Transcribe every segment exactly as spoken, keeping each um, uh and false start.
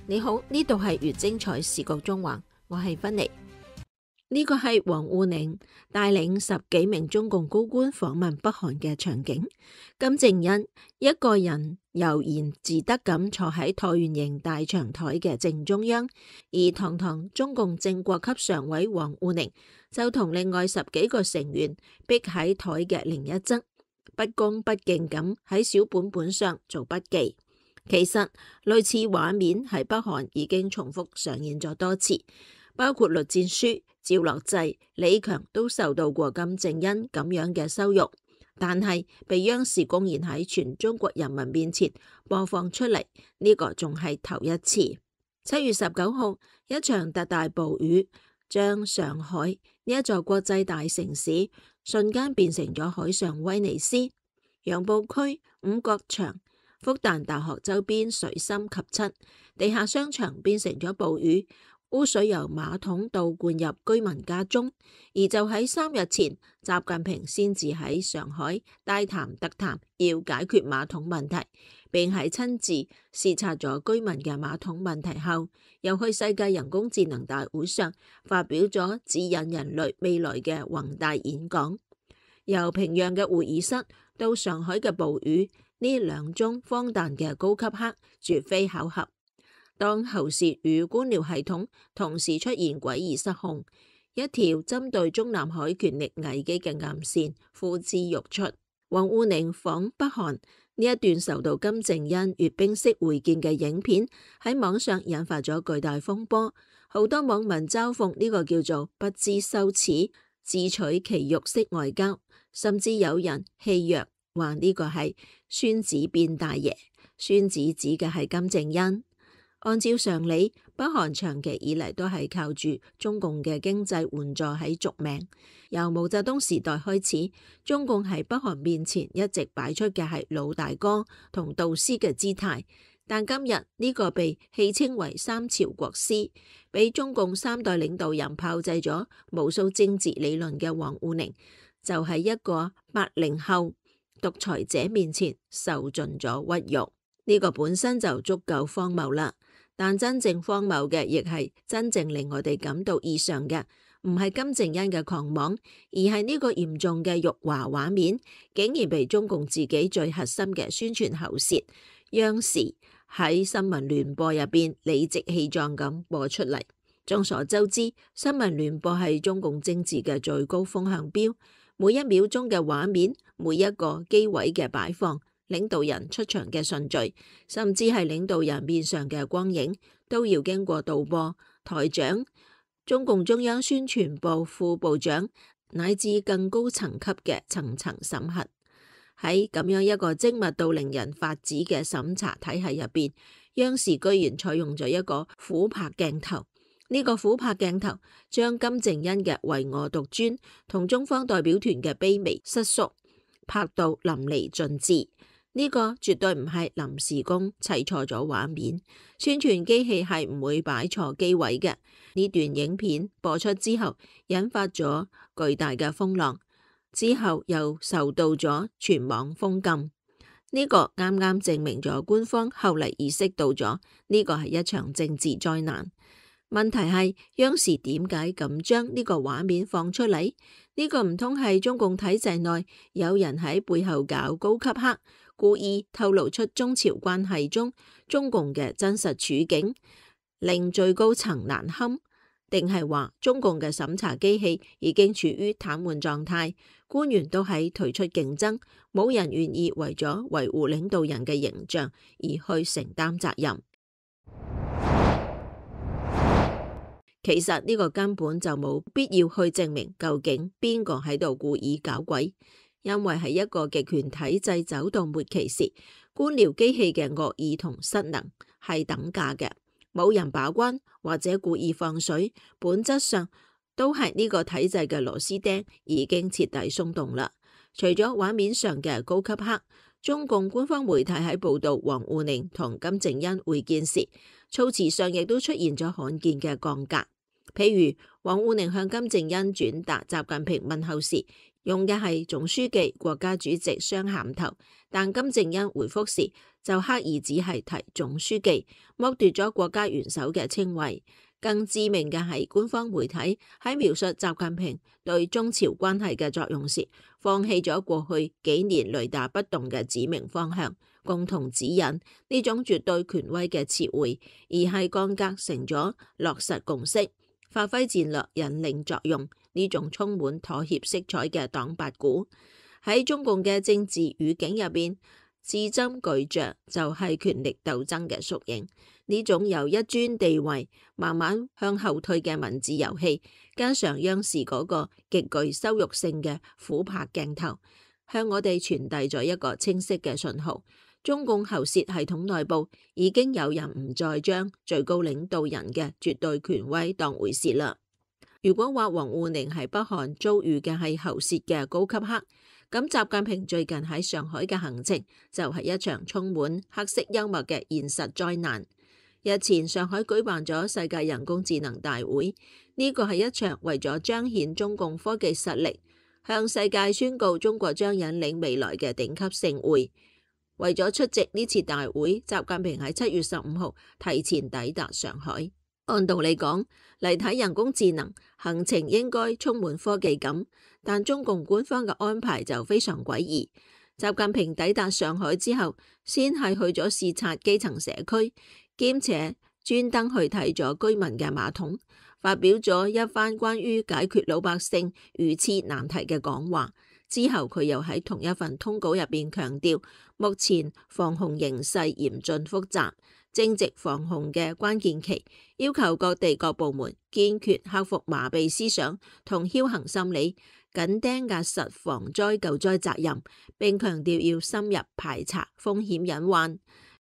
你好，呢度係粵精彩視覺中環，我係芬妮。呢個係王滬寧帶領十幾名中共高官訪問北韓嘅場景。金正恩一個人悠然自得咁坐喺橢圓形大長台嘅正中央，而堂堂中共正國級常委王滬寧就同另外十幾個成員逼喺台嘅另一側，不恭不敬咁喺小本本上做筆記。其實類似畫面喺北韓已經重複上演咗多次，包括栗戰書、趙樂際、李強都受到過金正恩咁樣嘅羞辱，但係被央視公然喺全中國人民面前播放出嚟，呢個仲係頭一次。七月十九號，一場特大暴雨將上海呢一座國際大城市瞬間變成咗海上威尼斯，楊浦區、五角場、復旦大學周邊水深及膝，地下商場變成咗暴雨，污水由馬桶倒灌入居民家中。而就喺三日前，習近平先至喺上海大談特談要解決馬桶問題，並喺親自視察咗居民嘅馬桶問題後，又去世界人工智能大會上發表咗指引人類未來嘅宏大演講。由平壤嘅會議室到上海嘅暴雨，呢兩宗荒誕嘅高級黑絕非巧合。當喉舌與官僚系統同時出現詭異失控，一條針對中南海權力危機嘅暗線呼之欲出。王滬寧訪北韓呢一段受到金正恩閱兵式會見嘅影片喺網上引發咗巨大風波，好多網民嘲諷呢個叫做不知羞恥、自取其辱式外交，甚至有人戲謔話呢個係孫子變大爺，孫子指嘅係金正恩。按照常理，北韓長期以嚟都係靠住中共嘅經濟援助喺續命。由毛澤東時代開始，中共喺北韓面前一直擺出嘅係老大哥同導師嘅姿態。但今日呢個被戲稱為三朝國師，俾中共三代領導人炮製咗無數政治理論嘅王滬寧，就喺一個八零後獨裁者面前受盡咗屈辱。呢個本身就足夠荒謬啦。但真正荒謬嘅，亦係真正令我哋感到異常嘅，唔係金正恩嘅狂妄，而係呢個嚴重嘅辱華畫面，竟然被中共自己最核心嘅宣傳喉舌央視喺新聞聯播入邊理直氣壯咁播出嚟。眾所周知，新聞聯播係中共政治嘅最高風向標，每一秒鐘嘅畫面，每一個機位嘅擺放，領導人出場嘅順序，甚至係領導人面上嘅光影，都要經過導播、台長、中共中央宣傳部副部長乃至更高層級嘅層層審核。喺咁樣一個精密到令人發指嘅審查體系入邊，央視居然採用咗一個俯拍鏡頭。呢個俯拍鏡頭將金正恩嘅唯我獨尊同中方代表團嘅卑微失縮拍到淋漓盡致。呢個絕對唔係臨時工砌錯咗畫面，宣傳機器係唔會擺錯機位嘅。呢段影片播出之後，引發咗巨大嘅風浪，之後又受到咗全網封禁。呢個啱啱證明咗官方後嚟意識到咗呢個係一場政治災難。問題係央視點解咁將呢個畫面放出嚟？呢個唔通係中共體制內有人喺背後搞高級黑，故意透露出中朝關係中中共嘅真實處境，令最高層難堪？定係話中共嘅審查機器已經處於癱瘓狀態，官員都喺退出競爭，冇人願意為咗維護領導人嘅形象而去承擔責任？其實呢個根本就冇必要去證明究竟邊個喺度故意搞鬼，因為喺一個極權體制走到末期時，官僚機器嘅惡意同失能係等價嘅，冇人把關或者故意放水，本質上都係呢個體制嘅螺絲釘已經徹底鬆動啦。除咗畫面上嘅高級黑，中共官方媒體喺報道王滬寧同金正恩會見時，措辭上亦都出現咗罕見嘅降格。譬如王滬寧向金正恩轉達習近平問候時，用嘅係總書記、國家主席雙銜頭，但金正恩回覆時就刻意只係提總書記，剝奪咗國家元首嘅稱謂。更致命嘅係官方媒體喺描述習近平對中朝關係嘅作用時，放棄咗過去幾年雷打不動嘅指明方向、共同指引呢種絕對權威嘅詞彙，而係降格成咗落實共識、發揮戰略引領作用呢種充滿妥協色彩嘅黨八股。喺中共嘅政治語境入邊，字斟句酌就係權力鬥爭嘅縮影。呢種由一尊地位慢慢向後退嘅文字遊戲，加上央視嗰個極具羞辱性嘅俯拍鏡頭，向我哋傳遞咗一個清晰嘅信號：中共喉舌系統內部已經有人唔再將最高領導人嘅絕對權威當回事啦。如果話王滬寧係北韓遭遇嘅係喉舌嘅高級黑，咁習近平最近喺上海嘅行程就係一場充滿黑色幽默嘅現實災難。日前上海舉辦咗世界人工智能大會，呢個係一場為咗彰顯中共科技實力，向世界宣告中國將引領未來嘅頂級盛會。為咗出席呢次大會，習近平喺七月十五號提前抵達上海。按道理講，嚟睇人工智能行程應該充滿科技感，但中共官方嘅安排就非常詭異。習近平抵達上海之後，先係去咗視察基層社區，兼且專登去睇咗居民嘅馬桶，發表咗一番關於解決老百姓如廁難題嘅講話。之後佢又喺同一份通稿入邊強調，目前防控形勢嚴峻複雜，正值防控嘅關鍵期，要求各地各部門堅決克服麻痹思想同僥倖心理，緊盯壓實防災救災責任，並強調要深入排查風險隱患，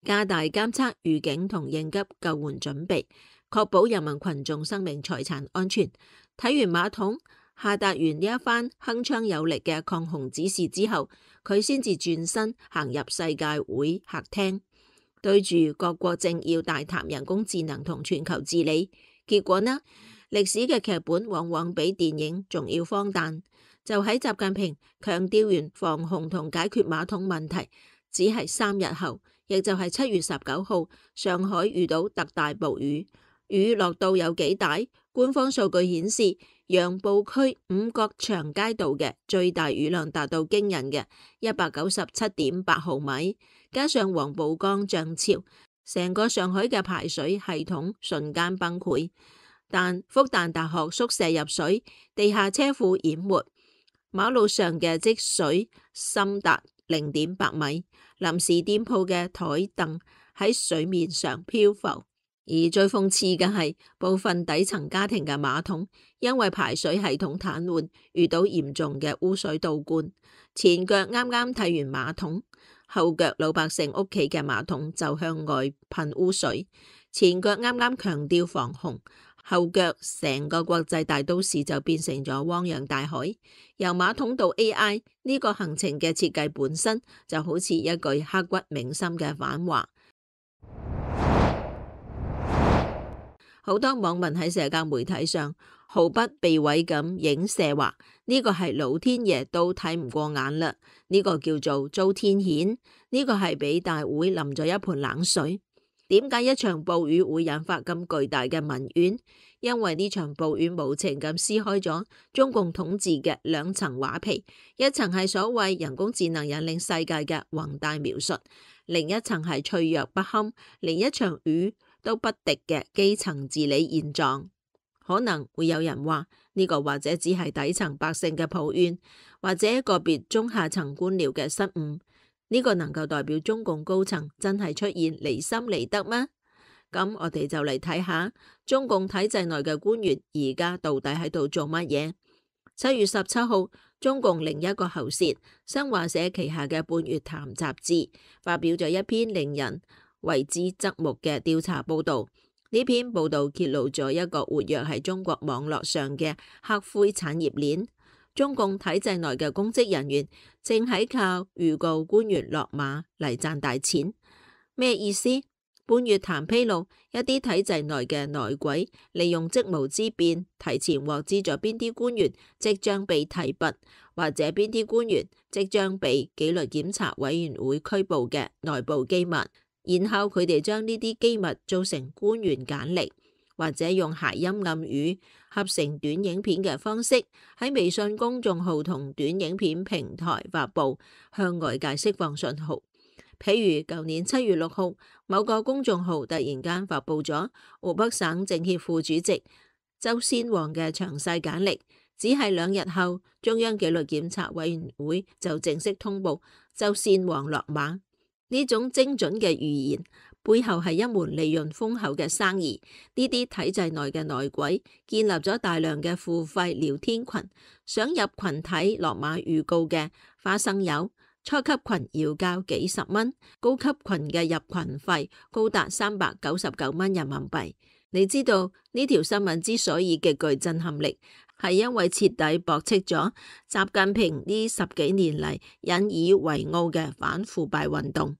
加大監測預警同應急救援準備，確保人民群眾生命財產安全。睇完馬桶，下達完呢一番鏗鏘有力嘅抗洪指示之後，佢先至轉身行入世界會客廳，對住各國政要大談人工智能同全球治理。結果呢，歷史嘅劇本往往比電影仲要荒誕。就喺習近平強調完防洪同解決馬桶問題，只係三日後，亦就係七月十九號，上海遇到特大暴雨。雨落到有幾大？官方數據顯示，楊浦區五角場街道嘅最大雨量達到驚人嘅一百九十七點八毫米，加上黃浦江漲潮，成個上海嘅排水系統瞬間崩潰。但復旦大學宿舍入水，地下車庫淹沒，馬路上嘅積水深達零點八米，臨時店鋪嘅台凳喺水面上漂浮。而最諷刺嘅係，部分底層家庭嘅馬桶因為排水系統癱瘓，遇到嚴重嘅污水倒灌。前腳啱啱睇完馬桶，後腳老百姓屋企嘅馬桶就向外噴污水。前腳啱啱強調防洪，後腳成個國際大都市就變成咗汪洋大海。由馬桶到 A I 呢個行程嘅設計本身就好似一句刻骨銘心嘅反話。好多網民喺社交媒體上毫不避諱咁影射話，呢個係老天爺都睇唔過眼啦，呢個叫做遭天譴，呢個係俾大會淋咗一盆冷水。點解一場暴雨會引發咁巨大嘅民怨？因為呢場暴雨無情咁撕開咗中共統治嘅兩層畫皮，一層係所謂人工智能引領世界嘅宏大描述，另一層係脆弱不堪，連一場雨都不敵嘅基層治理現狀。可能會有人話呢個或者只係底層百姓嘅抱怨，或者個別中下層官僚嘅失誤。呢個能夠代表中共高層真係出現離心離德嗎？咁我哋就嚟睇下中共體制內嘅官員而家到底喺度做乜嘢。七月十七號，中共另一個喉舌新華社旗下嘅《半月談》雜誌發表咗一篇令人為之側目嘅調查報道。呢篇報道揭露咗一個活躍喺中國網絡上嘅黑灰產業鏈。中共體制內嘅公職人員正喺靠預告官員落馬嚟賺大錢。咩意思？半月談披露一啲體制內嘅內鬼，利用職務之便，提前獲知咗邊啲官員即將被提拔，或者邊啲官員即將被紀律檢查委員會拘捕嘅內部機密，然後佢哋將呢啲機密做成官員簡歷，或者用諧音暗語合成短影片嘅方式喺微信公眾號同短影片平台發布，向外界釋放信號。譬如舊年七月六號，某個公眾號突然間發布咗湖北省政協副主席周先旺嘅詳細簡歷，只係兩日後，中央紀律檢查委員會就正式通報周先旺落馬。呢種精準嘅預言背後係一門利潤豐厚嘅生意。呢啲體制內嘅內鬼建立咗大量嘅付費聊天群，想入群睇落馬預告嘅花生友。初級群要交幾十蚊，高級群嘅入群費高達三百九十九蚊人民幣。你知道呢條新聞之所以極具震撼力，係因為徹底駁斥咗習近平呢十幾年嚟引以為傲嘅反腐敗運動。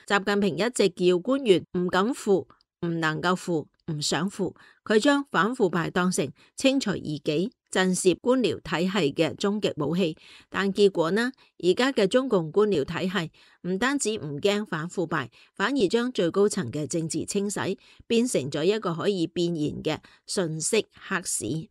習近平一直叫官員唔敢腐、唔能夠腐、唔想腐，佢將反腐敗當成清除異己、震懾官僚體系嘅終極武器，但結果呢？而家嘅中共官僚體系唔單止唔驚反腐敗，反而將最高層嘅政治清洗變成咗一個可以變現嘅信息黑市。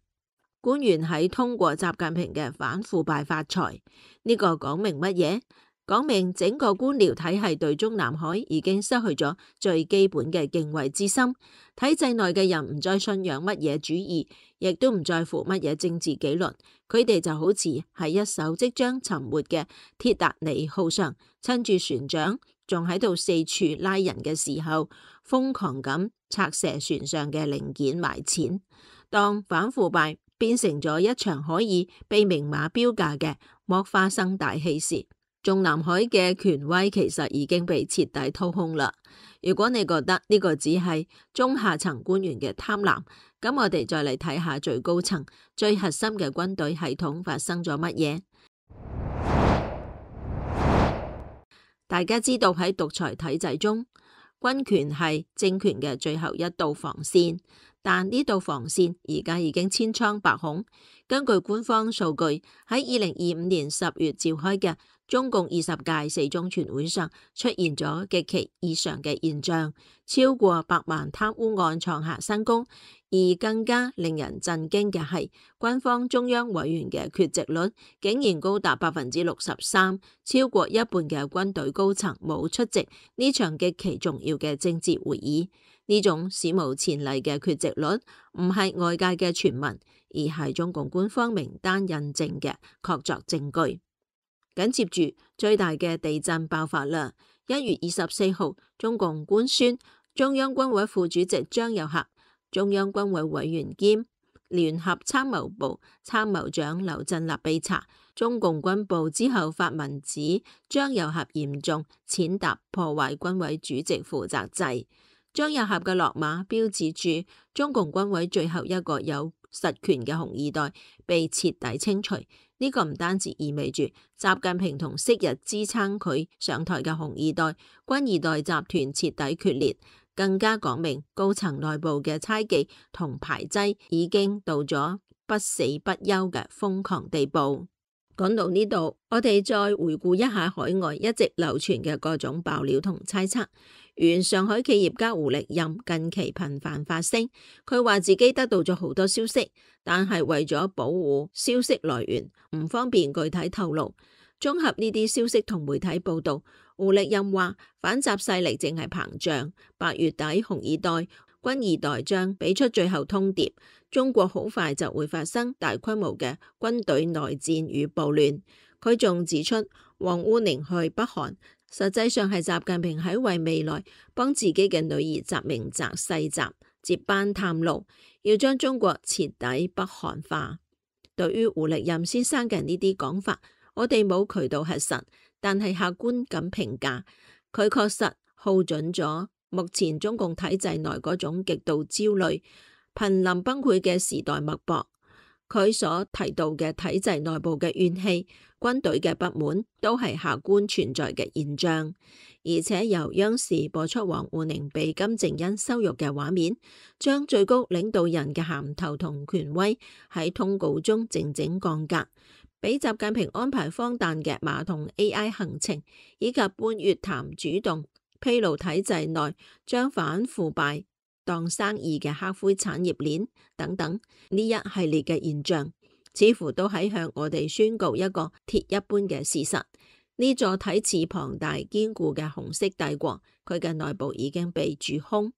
官員喺通過習近平嘅反腐敗發財，呢個講明乜嘢？講明整個官僚體系對中南海已經失去咗最基本嘅敬畏之心，體制內嘅人唔再信仰乜嘢主義，亦都唔在乎乜嘢政治紀律，佢哋就好似喺一艘即將沉沒嘅鐵達尼號上，趁住船長仲喺度四處拉人嘅時候，瘋狂咁拆卸船上嘅零件賣錢。當反腐敗變成咗一場可以被明碼標價嘅剝花生大戲時，中南海嘅權威其實已經被徹底掏空啦。如果你覺得呢個只係中下層官員嘅貪婪，咁我哋再嚟睇下最高層、最核心嘅軍隊系統發生咗乜嘢。大家知道喺獨裁體制中，軍權係政權嘅最後一道防線，但呢道防線而家已經千瘡百孔。根據官方數據，喺二零二五年十月召開嘅中共二十屆四中全會上，出現咗極其異常嘅現象，超過百萬貪污案創下新高。而更加令人震驚嘅係，軍方中央委員嘅缺席率竟然高達百分之六十三，超過一半嘅軍隊高層冇出席呢場極其重要嘅政治會議。呢種史無前例嘅缺席率唔係外界嘅傳聞，而係中共官方名單印證嘅確鑿證據。緊接住最大嘅地震爆發啦！一月二十四號，中共官宣中央軍委副主席張又俠、中央軍委委員兼聯合參謀部參謀長劉振立被查。中共軍部之後發文指張又俠嚴重踐踏破壞軍委主席負責制。張又俠嘅落馬標誌住中共軍委最後一個有實權嘅紅二代被徹底清除。呢個唔單止意味住習近平同昔日支撐佢上台嘅紅二代、軍二代集團徹底決裂，更加講明高層內部嘅猜忌同排擠已經到咗不死不休嘅瘋狂地步。講到呢度，我哋再回顧一下海外一直流傳嘅各種爆料同猜測。原上海企業家胡力任近期頻繁發聲，佢話自己得到咗好多消息，但係為咗保護消息來源，唔方便具體透露。綜合呢啲消息同媒體報道，胡力任話反習勢力正係膨脹，八月底紅二代、軍二代將俾出最後通牒，中國好快就會發生大規模嘅軍隊內戰與暴亂。佢仲指出，王滬寧去北韓，實際上係習近平喺為未來幫自己嘅女兒習明澤世襲接班探路，要將中國徹底北韓化。對於胡力任先生嘅呢啲講法，我哋冇渠道核實，但係客觀咁評價，佢確實耗準咗目前中共體制內嗰種極度焦慮、瀕臨崩潰嘅時代脈搏。佢所提到嘅體制內部嘅怨氣、軍隊嘅不滿，都係客觀存在嘅現象。而且由央視播出王滬寧被金正恩羞辱嘅畫面，將最高領導人嘅銜頭同權威喺通稿中靜靜降格，俾習近平安排荒誕嘅馬桶 A I 行程，以及半月談主動披露體制內將反腐敗當生意嘅黑灰產業鏈等等，呢一系列嘅現象，似乎都喺向我哋宣告一個鐵一般嘅事實：呢座睇似龐大堅固嘅紅色帝國，佢嘅內部已經被蛀空，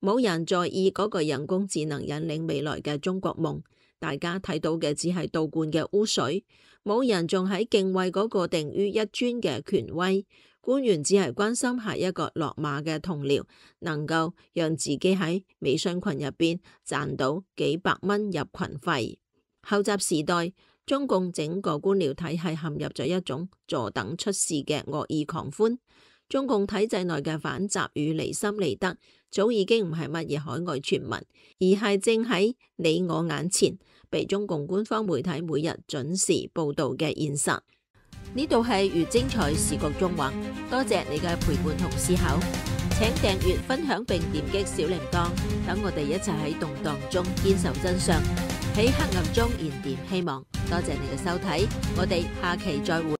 冇人在意嗰個人工智能引領未來嘅中國夢。大家睇到嘅只係倒灌嘅污水，冇人仲喺敬畏嗰個定於一尊嘅權威。官員只係關心下一個落馬嘅同僚能夠讓自己喺微信群入邊賺到幾百蚊入群費。後習時代，中共整個官僚體系陷入咗一種坐等出事嘅惡意狂歡。中共體制內嘅反習與離心離德，早已經唔係乜嘢海外傳聞，而係正喺你我眼前，被中共官方媒體每日準時報道嘅現實。呢度係粵精彩視覺縱橫，多謝你嘅陪伴同思考，請訂閱、分享並點擊小鈴鐺，等我哋一齊喺動盪中堅守真相，喺黑暗中燃點希望。多謝你嘅收睇，我哋下期再會。